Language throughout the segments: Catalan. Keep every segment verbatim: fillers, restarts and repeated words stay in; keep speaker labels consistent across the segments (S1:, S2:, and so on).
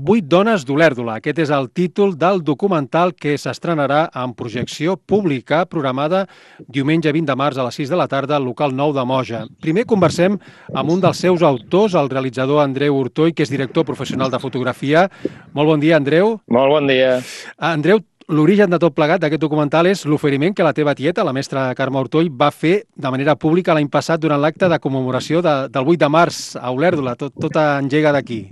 S1: Vuit dones d'Olèrdola. Aquest és el títol del documental que s'estrenarà en projecció pública programada diumenge vint de març a les sis de la tarda al local nou de Moja. Primer conversem amb un dels seus autors, el realitzador Andreu Hurtoy, que és director professional de fotografia. Molt bon dia, Andreu.
S2: Molt bon dia.
S1: Andreu, l'origen de tot plegat d'aquest documental és l'oferiment que la teva tieta, la mestra Carme Hurtoy, va fer de manera pública l'any passat durant l'acte de commemoració de, del vuit de març a Olèrdola. Tot, tota engega d'aquí.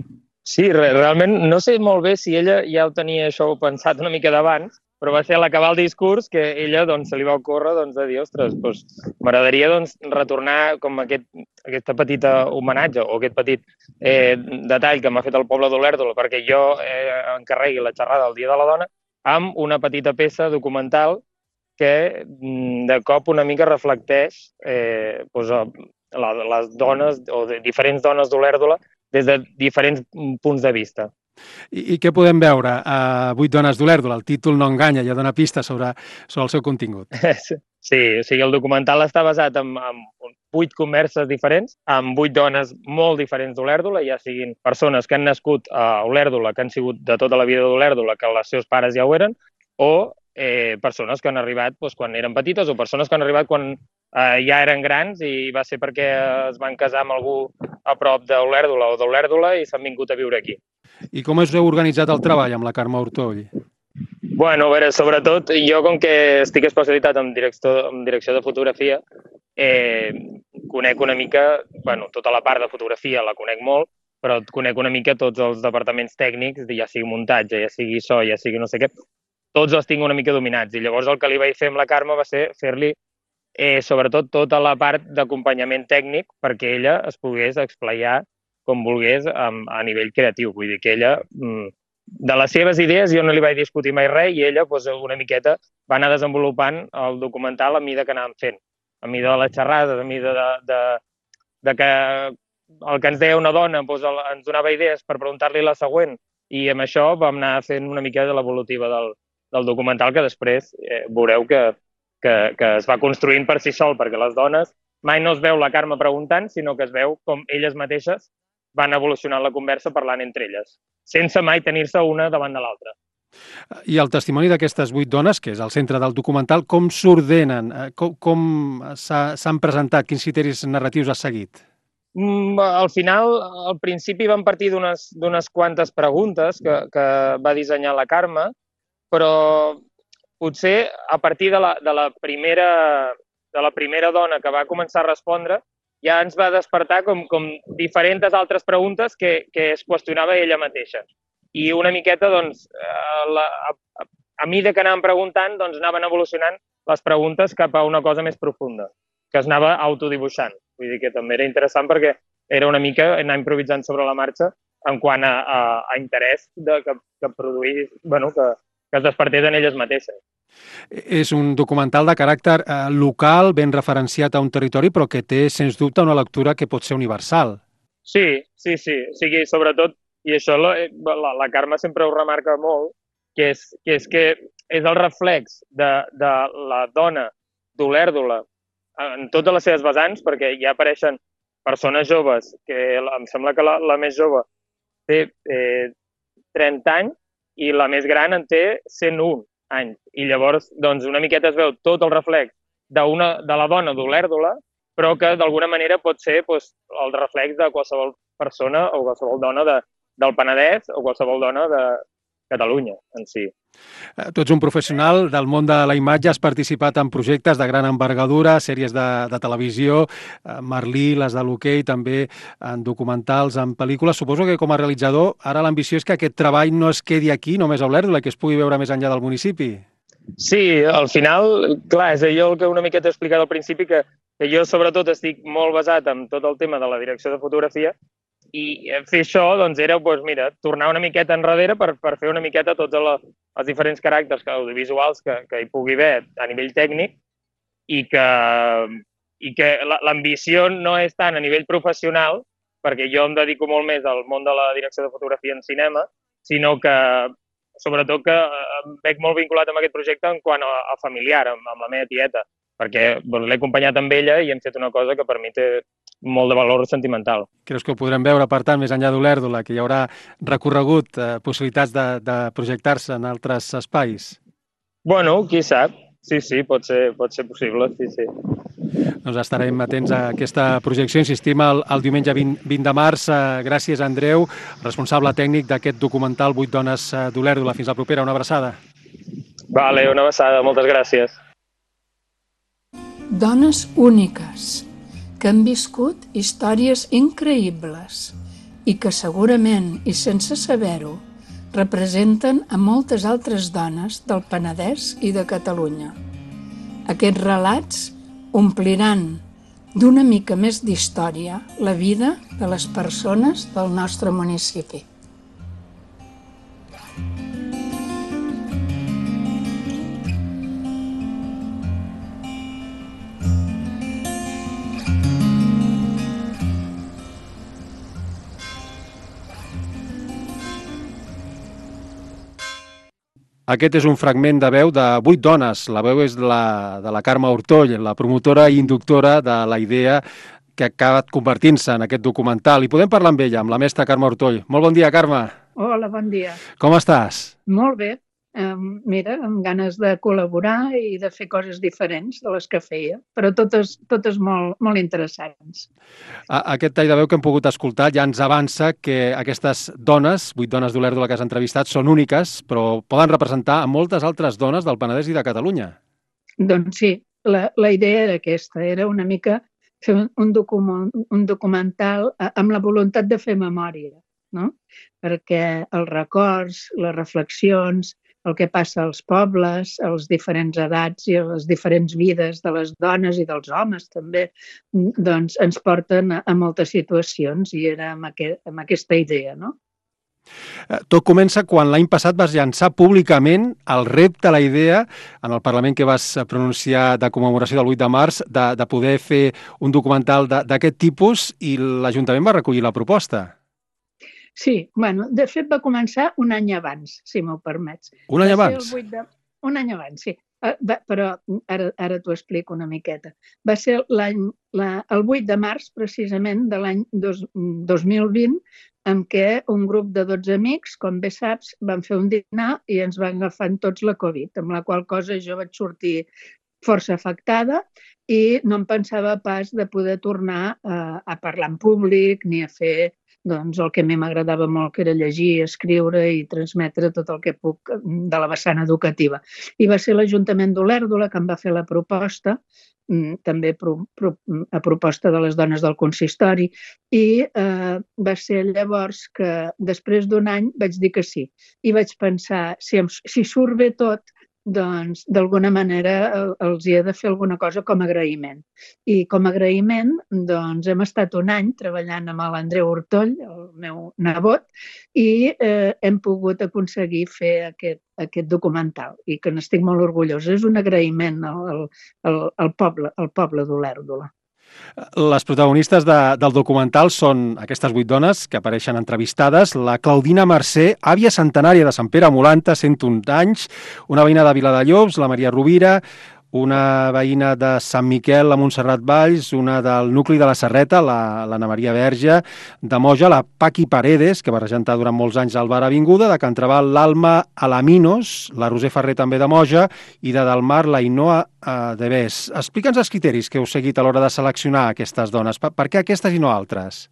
S2: Sí, re realment no sé molt bé si ella ja ho tenia això pensat una mica d'abans, però va ser a l'acabar el discurs que ella doncs, se li va ocórrer doncs, de dir, ostres, doncs, m'agradaria doncs, retornar com aquest, aquesta petita homenatge o aquest petit eh, detall que m'ha fet el poble d'Olèrdola perquè jo eh, encarregui la xerrada el Dia de la Dona amb una petita peça documental que de cop una mica reflecteix eh, doncs, la, les dones o de diferents dones d'Olèrdola des de diferents punts de vista.
S1: I, i què podem veure a Vuit dones d'Olèrdola? El títol no enganya, ja dona pistes sobre, sobre el seu contingut.
S2: Sí, o sigui, el documental està basat en, en vuit converses diferents, amb vuit dones molt diferents d'Olèrdola, ja siguin persones que han nascut a Olèrdola, que han sigut de tota la vida d'Olèrdola, que els seus pares ja ho eren, o eh, persones que han arribat doncs, quan eren petites o persones que han arribat quan eh, ja eren grans i va ser perquè es van casar amb algú a prop d'Olèrdola o d'Olèrdola i s'han vingut a viure aquí.
S1: I com us heu organitzat el treball amb la Carme Hurtoy?
S2: Bueno, a veure, sobretot, jo com que estic especialitat en direcció, en direcció de fotografia, eh, conec una mica, bueno, tota la part de fotografia la conec molt, però conec una mica tots els departaments tècnics, ja sigui muntatge, ja sigui so, ja sigui no sé què, tots els tinc una mica dominats. I llavors el que li vaig fer amb la Carme va ser fer-li eh, sobretot tota la part d'acompanyament tècnic perquè ella es pogués explaiar com volgués a, a nivell creatiu. Vull dir que ella, de les seves idees, jo no li vaig discutir mai res i ella doncs, una miqueta va anar desenvolupant el documental a mida que anàvem fent. A mida de les xerrades, a mida de, de, de que el que ens deia una dona doncs, ens donava idees per preguntar-li la següent i amb això vam anar fent una mica de l'evolutiva del, del documental que després eh, veureu que, que, que es va construint per si sol, perquè les dones mai no es veu la Carme preguntant, sinó que es veu com elles mateixes van evolucionant la conversa parlant entre elles, sense mai tenir-se una davant de l'altra.
S1: I el testimoni d'aquestes vuit dones, que és el centre del documental, com s'ordenen? Com, com s'han presentat? Quins criteris narratius has seguit?
S2: Mm, al final, al principi van partir d'unes quantes preguntes que, que va dissenyar la Carme, però potser a partir de la, de la, primera, de la primera dona que va començar a respondre ja ens va despertar com, com diferents altres preguntes que, que es qüestionava ella mateixa. I una miqueta, doncs, a, la, a, a mida que anàvem preguntant, doncs anaven evolucionant les preguntes cap a una cosa més profunda, que es anava autodibuixant. Vull dir que també era interessant perquè era una mica anar improvisant sobre la marxa en quant a, a, a interès de, que, que produís, bueno, que, que es despertés en elles mateixes.
S1: És un documental de caràcter eh, local, ben referenciat a un territori, però que té, sens dubte, una lectura que pot ser universal.
S2: Sí, sí, sí. O sigui, sobretot, i això la, la, la Carme sempre ho remarca molt, que és que és, que és el reflex de, de la dona d'Olèrdola en totes les seves vessants, perquè ja apareixen persones joves, que em sembla que la, la més jove té eh, trenta anys i la més gran en té cent un anys. I llavors, doncs, una miqueta es veu tot el reflex d'una de la dona d'Olèrdola, però que d'alguna manera pot ser doncs, el reflex de qualsevol persona o qualsevol dona de, del Penedès o qualsevol dona de Catalunya en si.
S1: Tu ets un professional del món de la imatge, has participat en projectes de gran envergadura, sèries de, de televisió, Merlí, les de l'hoquei, també en documentals, en pel·lícules. Suposo que com a realitzador ara l'ambició és que aquest treball no es quedi aquí, només a Olèrdola, que es pugui veure més enllà del municipi.
S2: Sí, al final, clar, és allò que una miqueta he explicat al principi, que, que jo sobretot estic molt basat en tot el tema de la direcció de fotografia i fer això, doncs, era, doncs, mira, tornar una miqueta enrere per, per fer una miqueta tots la, els diferents caràcters audiovisuals que, que hi pugui haver a nivell tècnic i que, i que l'ambició no és tant a nivell professional, perquè jo em dedico molt més al món de la direcció de fotografia en cinema, sinó que, sobretot, que em veig molt vinculat amb aquest projecte en quant a, a familiar, amb, amb la meva tieta, perquè doncs, l'he acompanyat amb ella i hem fet una cosa que per mi té molt de valor sentimental.
S1: Creus que ho podrem veure, per tant, més enllà d'Olèrdola, que hi haurà recorregut, eh, possibilitats de, de projectar-se en altres espais?
S2: Bueno, qui sap. Sí, sí, pot ser, pot ser possible, sí, sí.
S1: Doncs estarem atents a aquesta projecció. Insistim el, el diumenge vint, vint de març. Eh, gràcies, Andreu, responsable tècnic d'aquest documental Vuit dones d'Olèrdola. Fins la propera. Una abraçada.
S2: Vale, una abraçada. Moltes gràcies.
S3: Dones úniques que han viscut històries increïbles i que segurament, i sense saber-ho, representen a moltes altres dones del Penedès i de Catalunya. Aquests relats ompliran d'una mica més d'història la vida de les persones del nostre municipi.
S1: Aquest és un fragment de veu de Vuit dones. La veu és de la, de la Carme Ortoll, la promotora i inductora de la idea que ha acabat convertint-se en aquest documental. I podem parlar amb ella, amb la mestra Carme Ortoll. Molt bon dia, Carme.
S4: Hola, bon dia.
S1: Com estàs?
S4: Molt bé. Um, mira, amb ganes de col·laborar i de fer coses diferents de les que feia, però totes, totes molt, molt interessants.
S1: Aquest tall de veu que hem pogut escoltar ja ens avança que aquestes dones, vuit dones d'Olèrdola que has entrevistat, són úniques, però poden representar a moltes altres dones del Penedès i de Catalunya.
S4: Doncs sí, la, la idea era aquesta, era una mica fer un, un, document, un documental amb la voluntat de fer memòria, no? Perquè els records, les reflexions, el que passa als pobles, a les diferents edats i a les diferents vides de les dones i dels homes també, doncs ens porten a, a moltes situacions i era amb, aquest, amb aquesta idea, no?
S1: Tot comença quan l'any passat vas llançar públicament el repte, la idea, en el Parlament que vas pronunciar de commemoració del vuit de març, de, de poder fer un documental d'aquest tipus i l'Ajuntament va recollir la proposta.
S4: Sí, bueno, de fet va començar un any abans, si m'ho permets.
S1: Un any abans?
S4: De... Un any abans, sí. Uh, va, però ara, ara t'ho explico una miqueta. Va ser l'any, la, el vuit de març, precisament, de l'any dos, dos mil vint, en què un grup de dotze amics, com bé saps, van fer un dinar i ens van agafar tots la Covid, amb la qual cosa jo vaig sortir força afectada i no em pensava pas de poder tornar a, a parlar en públic ni a fer doncs, el que a mi m'agradava molt, que era llegir, escriure i transmetre tot el que puc de la vessant educativa. I va ser l'Ajuntament d'Olèrdola que em va fer la proposta, també pro, pro, a proposta de les dones del consistori, i eh, va ser llavors que després d'un any vaig dir que sí. I vaig pensar, si, em, si surt bé tot, doncs d'alguna manera els hi he de fer alguna cosa com a agraïment. I com a agraïment doncs hem estat un any treballant amb l'Andreu Ortoll, el meu nebot, i eh, hem pogut aconseguir fer aquest, aquest documental i que n'estic molt orgullosa. És un agraïment al, al, al poble, al poble d'Olèrdola.
S1: Les protagonistes de, del documental són aquestes vuit dones que apareixen entrevistades. La Claudina Mercè, àvia centenària de Sant Pere Molanta, cent un anys, una veïna de Viladellobs, la Maria Rovira, una veïna de Sant Miquel, la Montserrat Valls, una del nucli de la Serreta, l'Anna Maria Verge, de Moja, la Paqui Paredes, que va regentar durant molts anys al Bar Avinguda, de Can Trabal, l'Alma Alaminos, la Roser Ferrer també de Moja, i de Delmar, la Inoa de Bes. Explica'ns els criteris que heu seguit a l'hora de seleccionar aquestes dones. Per, per què aquestes i no altres?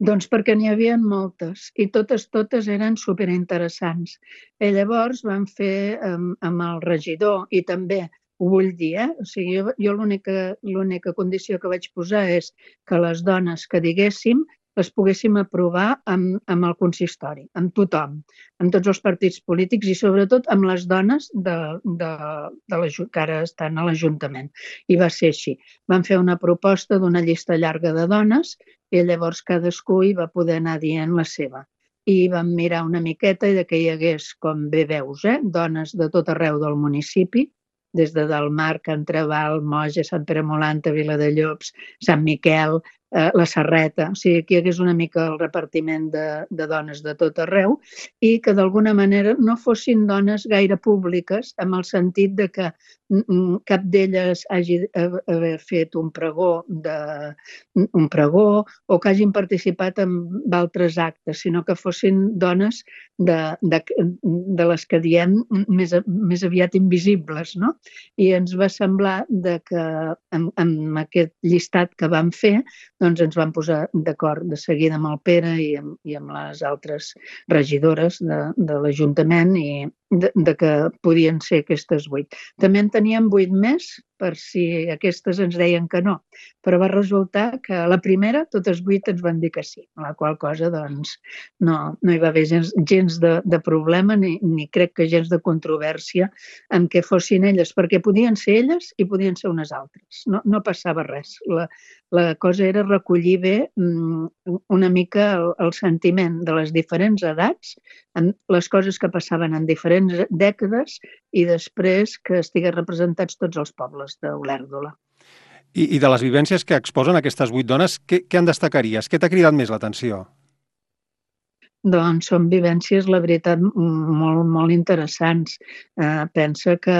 S4: Doncs perquè n'hi havia moltes i totes, totes eren superinteressants. I llavors vam fer amb, amb el regidor i també ho vull dir, eh? O sigui, jo, jo l'única l'única condició que vaig posar és que les dones que diguéssim les poguéssim aprovar amb, amb el consistori, amb tothom, amb tots els partits polítics i sobretot amb les dones de, de, de la, que ara estan a l'Ajuntament. I va ser així. Vam fer una proposta d'una llista llarga de dones i llavors cadascú hi va poder anar dient la seva. I vam mirar una miqueta i que hi hagués, com bé veus, eh, dones de tot arreu del municipi, des de Delmar, Can Trabal, Moja, Sant Pere Molanta, Viladellobs, Sant Miquel, eh, la Serreta, o sigui, que hi hagués una mica el repartiment de, de dones de tot arreu i que d'alguna manera no fossin dones gaire públiques, amb el sentit de que mm, cap d'elles hagi haver fet un pregó, de, un pregó o que hagin participat en altres actes, sinó que fossin dones de, de, de les que diem més, més aviat invisibles, no? I ens va semblar de que amb, amb aquest llistat que vam fer doncs ens vam posar d'acord de seguida amb el Pere i amb, i amb les altres regidores de, de l'Ajuntament i de, de que podien ser aquestes vuit. També en teníem vuit més per si aquestes ens deien que no, però va resultar que a la primera totes vuit ens van dir que sí, la qual cosa doncs no, no hi va haver gens, gens de, de problema ni, ni crec que gens de controvèrsia en què fossin elles, perquè podien ser elles i podien ser unes altres, no, no passava res. La, la cosa era recollir bé una mica el, el sentiment de les diferents edats, en les coses que passaven en diferents dècades i després que estigués representats tots els pobles d'Olèrdola.
S1: I, I de les vivències que exposen aquestes vuit dones, què, què en destacaries? Què t'ha cridat més l'atenció?
S4: Doncs són vivències, la veritat, molt, molt interessants. Eh, pensa que,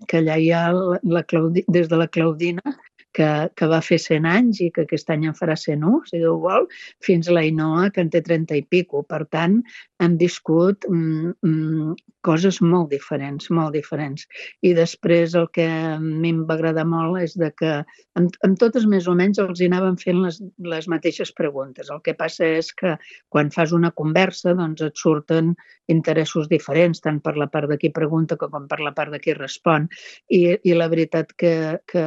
S4: que allà hi ha la, la Claudi, des de la Claudina, que, que va fer cent anys i que aquest any en farà cent u, si Déu vol, fins a la Ainhoa, que en té trenta i pico. Per tant, han viscut mm, mm, coses molt diferents, molt diferents. I després el que a mi em va agradar molt és de que amb, amb totes més o menys els hi anaven fent les, les mateixes preguntes. El que passa és que quan fas una conversa doncs et surten interessos diferents, tant per la part de qui pregunta com per la part de qui respon. I, i la veritat que, que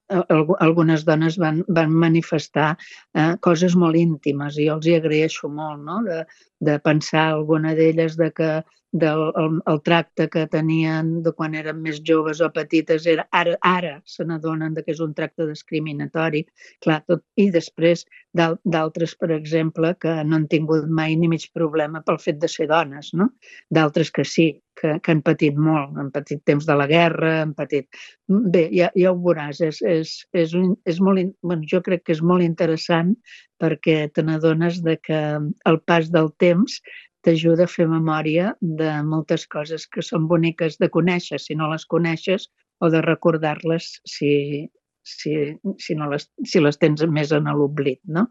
S4: algunes dones van, van manifestar eh, coses molt íntimes i jo els hi agraeixo molt, no? de, de pensar alguna d'elles de que del el, el tracte que tenien de quan eren més joves o petites era ara, ara se n'adonen que és un tracte discriminatori. Clar, tot, i després d'altres, per exemple, que no han tingut mai ni mig problema pel fet de ser dones, no? D'altres que sí, que, que han patit molt, han patit temps de la guerra, han patit... Bé, ja, ja ho veuràs, és, és, és, un, és molt, bueno, jo crec que és molt interessant perquè te n'adones de que el pas del temps t'ajuda a fer memòria de moltes coses que són boniques de conèixer, si no les coneixes, o de recordar-les si, si, si, no les, si les tens més en l'oblit, no?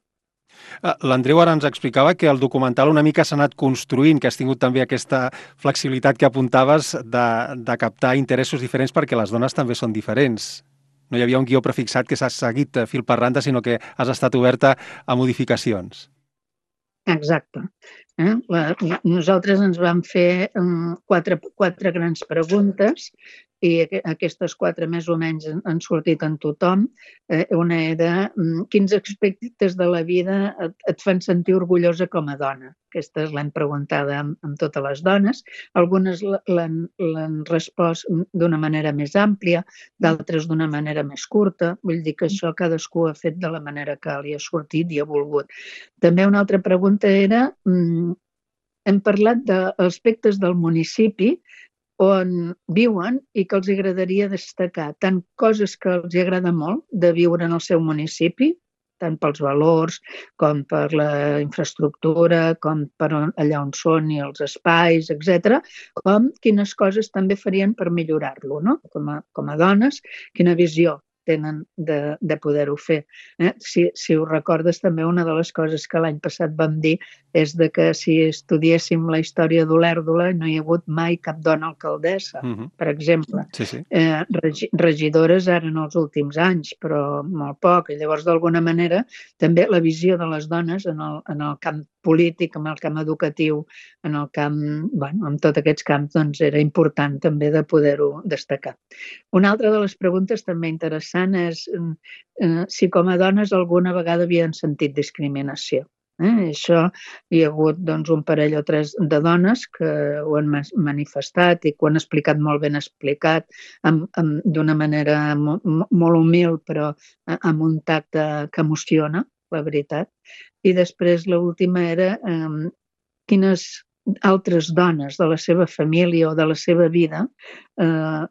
S1: L'Andreu ara ens explicava que el documental una mica s'ha anat construint, que has tingut també aquesta flexibilitat que apuntaves de, de captar interessos diferents perquè les dones també són diferents. No hi havia un guió prefixat que s'ha seguit fil per randa, sinó que has estat oberta a modificacions.
S4: Exacte. Eh? La, nosaltres ens vam fer um, quatre, quatre grans preguntes i aquestes quatre més o menys han sortit en tothom. Eh, una era um, quins aspectes de la vida et, et fan sentir orgullosa com a dona. Aquesta l'hem preguntada amb, amb totes les dones. Algunes l'han respost d'una manera més àmplia, d'altres d'una manera més curta. Vull dir que això cadascú ha fet de la manera que li ha sortit i ha volgut. També una altra pregunta era um, hem parlat d'aspectes del municipi on viuen i que els agradaria destacar, tant coses que els agrada molt de viure en el seu municipi, tant pels valors com per la infraestructura, com per allà on són i els espais, etcètera, com quines coses també farien per millorar-lo, no? Com a, com a dones, quina visió tenen de, de poder-ho fer. Eh? Si, si ho recordes, també una de les coses que l'any passat vam dir és de que si estudiéssim la història d'Olèrdola no hi ha hagut mai cap dona alcaldessa, uh-huh. per exemple.
S1: Sí, sí.
S4: Eh, regi regidores ara en els últims anys, però molt poc. I llavors, d'alguna manera, també la visió de les dones en el, en el camp polític, en el camp educatiu, en el camp, bueno, en tots aquests camps, doncs era important també de poder-ho destacar. Una altra de les preguntes també interessant és eh, si com a dones alguna vegada havien sentit discriminació. Eh? Això hi ha hagut doncs, un parell o tres de dones que ho han manifestat i que ho han explicat molt ben explicat d'una manera molt, molt humil però amb un tacte que emociona, la veritat. I després l'última era eh, quines altres dones de la seva família o de la seva vida eh,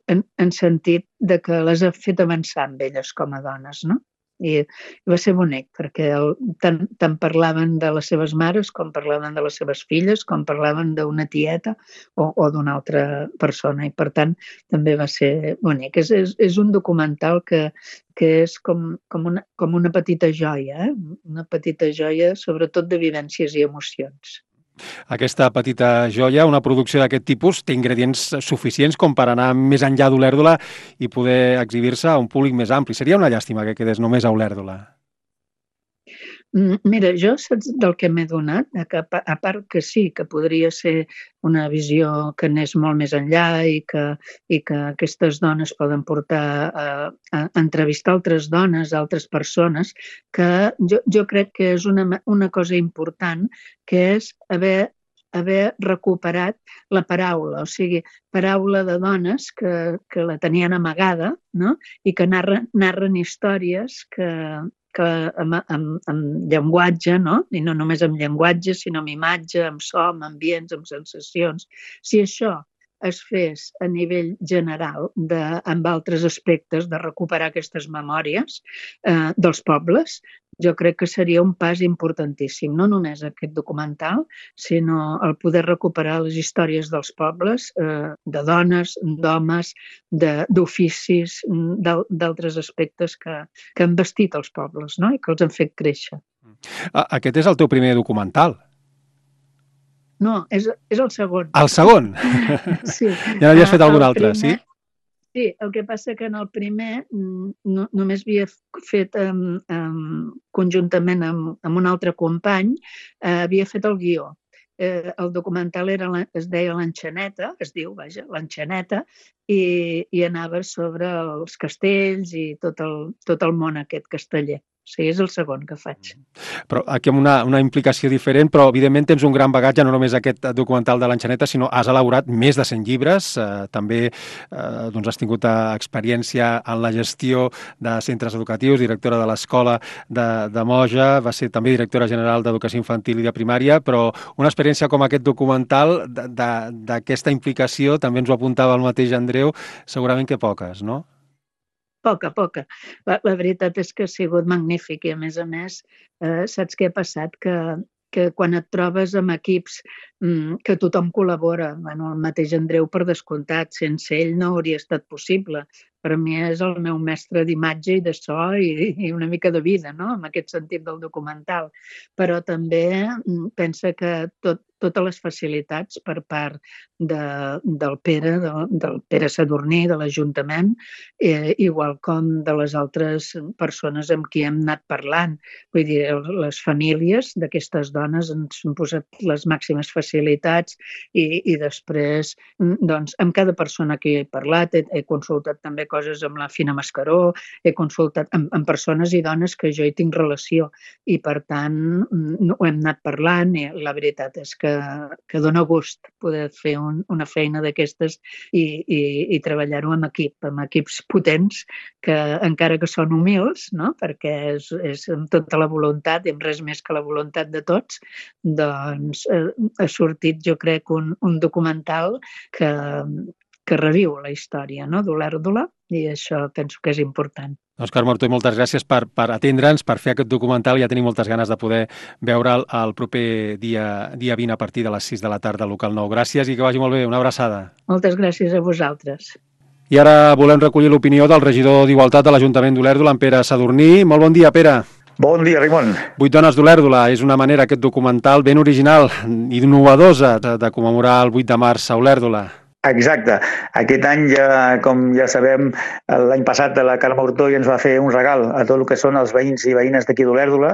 S4: han, han sentit de que les ha fet avançar amb elles com a dones, no? I va ser bonic, perquè el, tant, tant parlaven de les seves mares com parlaven de les seves filles, com parlaven d'una tieta o, o d'una altra persona, i per tant també va ser bonic. És, és, és un documental que, que és com, com, una, com una petita joia, eh? Una petita joia sobretot de vivències i emocions.
S1: Aquesta petita joia, una producció d'aquest tipus, té ingredients suficients com per anar més enllà d'Olèrdola i poder exhibir-se a un públic més ampli. Seria una llàstima que quedés només a Olèrdola.
S4: Mira, jo saps del que m'he donat? Que a part que sí, que podria ser una visió que anés molt més enllà i que, i que aquestes dones poden portar a, a entrevistar altres dones, altres persones, que jo, jo crec que és una, una cosa important, que és haver haver recuperat la paraula, o sigui, paraula de dones que, que la tenien amagada, no? I que narren, narren històries que, que amb, amb, amb llenguatge, no? I no només amb llenguatge, sinó amb imatge, amb so, amb ambients, amb sensacions. Si això es fes a nivell general, de, amb altres aspectes, de recuperar aquestes memòries eh, dels pobles, jo crec que seria un pas importantíssim, no només aquest documental, sinó el poder recuperar les històries dels pobles, eh, de dones, d'homes, d'oficis, d'altres aspectes que, que han vestit els pobles, no? I que els han fet créixer.
S1: Aquest és el teu primer documental?
S4: No, és, és el segon.
S1: El segon?
S4: Sí.
S1: Ja n'havies fet algun altre, sí?
S4: Sí, el que passa que en el primer no, només havia fet um, um, conjuntament amb, amb un altre company, uh, havia fet el guió. Eh, el documental era, es deia L'Enxaneta, es diu, vaja, L'Enxaneta, i, i anava sobre els castells i tot el, tot el món aquest casteller. O sigui, és el segon que faig.
S1: Però aquí amb una, una implicació diferent, però evidentment tens un gran bagatge, no només aquest documental de l'Enxaneta, sinó has elaborat més de cent llibres, eh, també eh, doncs has tingut experiència en la gestió de centres educatius, directora de l'Escola de, de Moja, va ser també directora general d'Educació Infantil i de Primària, però una experiència com aquest documental, d'aquesta implicació, també ens ho apuntava el mateix Andreu, segurament que poques, no?
S4: Poca, poca. La, la veritat és que ha sigut magnífic i, a més a més, eh, saps què ha passat? Que, que quan et trobes amb equips mm, que tothom col·labora, bueno, el mateix Andreu per descomptat, sense ell no hauria estat possible. Per mi és el meu mestre d'imatge i de so i, i una mica de vida, no?, en aquest sentit del documental. Però també pensa que tot, totes les facilitats per part de, del Pere, de, del Pere Sadurní, de l'Ajuntament, eh, igual com de les altres persones amb qui hem anat parlant. Vull dir, les famílies d'aquestes dones ens han posat les màximes facilitats i, i després, doncs, amb cada persona que he parlat, he, he consultat també coses amb la Fina Mascaró, he consultat amb, amb persones i dones que jo hi tinc relació i, per tant, ho hem anat parlant i la veritat és que, que dona gust poder fer un, una feina d'aquestes i, i, i treballar-ho amb equip, amb equips potents que, encara que són humils, no?, perquè és, és amb tota la voluntat i amb res més que la voluntat de tots, doncs eh, ha sortit, jo crec, un, un documental que que reviu la història, no?, d'Olèrdola, i això penso que és important.
S1: Òscar Martó, moltes gràcies per, per atendre'ns, per fer aquest documental. Ja tenim moltes ganes de poder veure'l el proper dia, dia vint a partir de les sis de la tarda al local nou. Gràcies i que vagi molt bé. Una abraçada.
S4: Moltes gràcies a vosaltres.
S1: I ara volem recollir l'opinió del regidor d'Igualtat de l'Ajuntament d'Olèrdola, en Pere Sadurní. Molt bon dia, Pere.
S5: Bon dia, Raimon.
S1: Vuit dones d'Olèrdola és una manera, aquest documental ben original i innovadora de commemorar el vuit de març a Olèrdola.
S5: Exacte. Aquest any, ja, com ja sabem, l'any passat la Carme Hurtó ens va fer un regal a tot el que són els veïns i veïnes d'aquí d'Olèrdola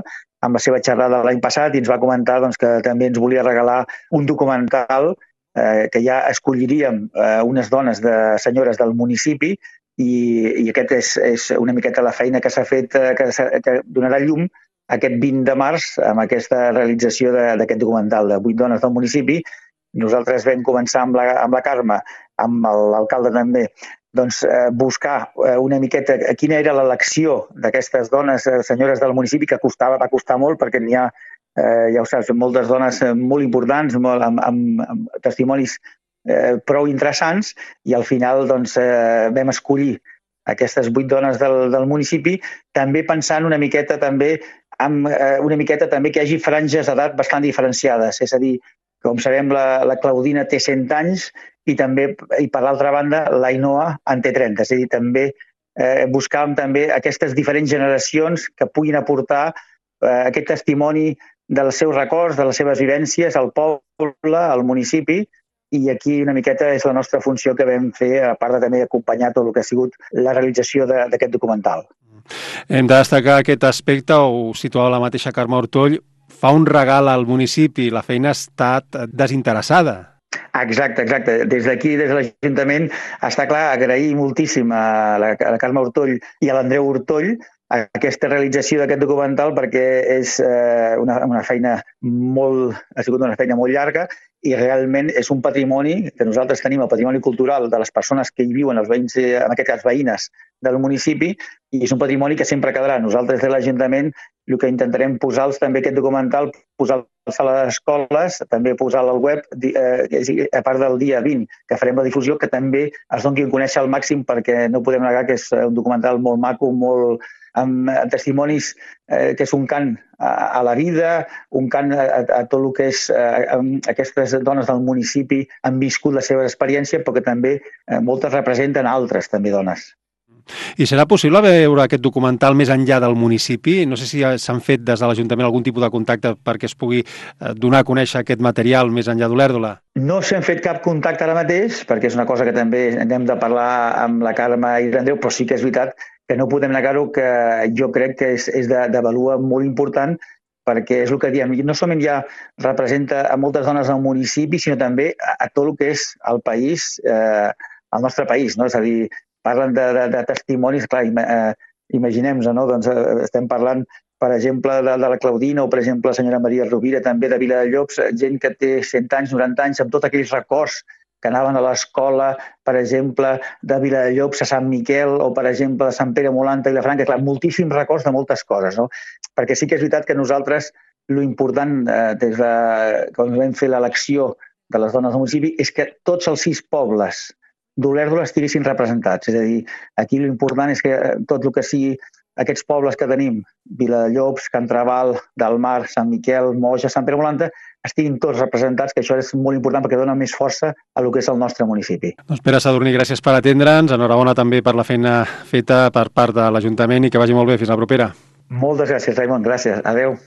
S5: amb la seva xerrada l'any passat i ens va comentar doncs, que també ens volia regalar un documental eh, que ja escolliríem eh, unes dones de senyores del municipi i, i aquest és, és una miqueta la feina que s'ha fet, eh, que, que donarà llum aquest vint de març amb aquesta realització d'aquest documental de vuit dones del municipi. Nosaltres vam començar amb la, amb la Carme, amb l'alcalde també, doncs, eh, buscar una miqueta quina era l'elecció d'aquestes dones, eh, senyores del municipi, que costava, va costar molt perquè n'hi ha, eh, ja ho saps, moltes dones molt importants, molt, amb, amb, amb testimonis eh, prou interessants, i al final doncs, eh, vam escollir aquestes vuit dones del, del municipi, també pensant una miqueta també amb eh, una miqueta també que hi hagi franges d'edat bastant diferenciades. És a dir, com sabem, la, la Claudina té cent anys i també, i per l'altra banda, l'Ainoa en té trenta. És a dir, també eh, buscàvem també aquestes diferents generacions que puguin aportar eh, aquest testimoni dels seus records, de les seves vivències al poble, al municipi, i aquí una miqueta és la nostra funció que vam fer, a part de també acompanyar tot el que ha sigut la realització d'aquest documental.
S1: Hem de destacar aquest aspecte, ho situava la mateixa Carme Ortoll, fa un regal al municipi, la feina ha estat desinteressada.
S5: Exacte, exacte. Des d'aquí, des de l'Ajuntament, està clar agrair moltíssim a la, a la Carme Ortoll i a l'Andreu Ortoll aquesta realització d'aquest documental, perquè és eh, una, una feina molt, ha sigut una feina molt llarga i realment és un patrimoni que nosaltres tenim, el patrimoni cultural de les persones que hi viuen, els veïns, en aquest cas veïnes del municipi, i és un patrimoni que sempre quedarà. Nosaltres de l'Ajuntament el que intentarem posar-los també aquest documental, posar-los a les escoles, també posar-lo al web, eh, a part del dia vint, que farem la difusió, que també es doni a conèixer al màxim, perquè no podem negar que és un documental molt maco, molt amb testimonis eh, que és un cant a, a la vida, un cant a, a tot el que és eh, aquestes dones del municipi han viscut la seva experiència, però que també eh, moltes representen altres també dones.
S1: I serà possible veure aquest documental més enllà del municipi? No sé si s'han fet des de l'Ajuntament algun tipus de contacte perquè es pugui donar a conèixer aquest material més enllà d'Olèrdola?
S5: No s'han fet cap contacte ara mateix, perquè és una cosa que també hem de parlar amb la Carme i l'Andreu, però sí que és veritat que no podem negar-ho, que jo crec que és, és de, de valor molt important, perquè és el que diem, no solament ja representa a moltes dones del municipi, sinó també a, a tot el que és el país, eh, el nostre país, no? És a dir, parlen de, de, de testimonis, clar, eh, imaginem-nos, no? Doncs, eh, estem parlant, per exemple, de, de la Claudina o, per exemple, la senyora Maria Rovira, també de Viladellobs, gent que té cent anys, noranta anys, amb tots aquells records que anaven a l'escola, per exemple, de Viladellobs a Sant Miquel o, per exemple, de Sant Pere Molanta i Vilafranca, clar, moltíssims records de moltes coses, no? Perquè sí que és veritat que nosaltres, l'important, eh, des de quan vam fer l'elecció de les dones del municipi, és que tots els sis pobles d'Olèrdola estiguessin representats. És a dir, aquí l'important és que tot el que sigui aquests pobles que tenim, Viladellobs, Can Trabal, Delmar, Sant Miquel, Moja, Sant Pere Molanta, estiguin tots representats, que això és molt important perquè dona més força a el que és el nostre municipi.
S1: Doncs Pere Sadurní, gràcies per atendre'ns. Enhorabona també per la feina feta per part de l'Ajuntament i que vagi molt bé. Fins la propera.
S5: Moltes gràcies, Raimon. Gràcies. Adéu.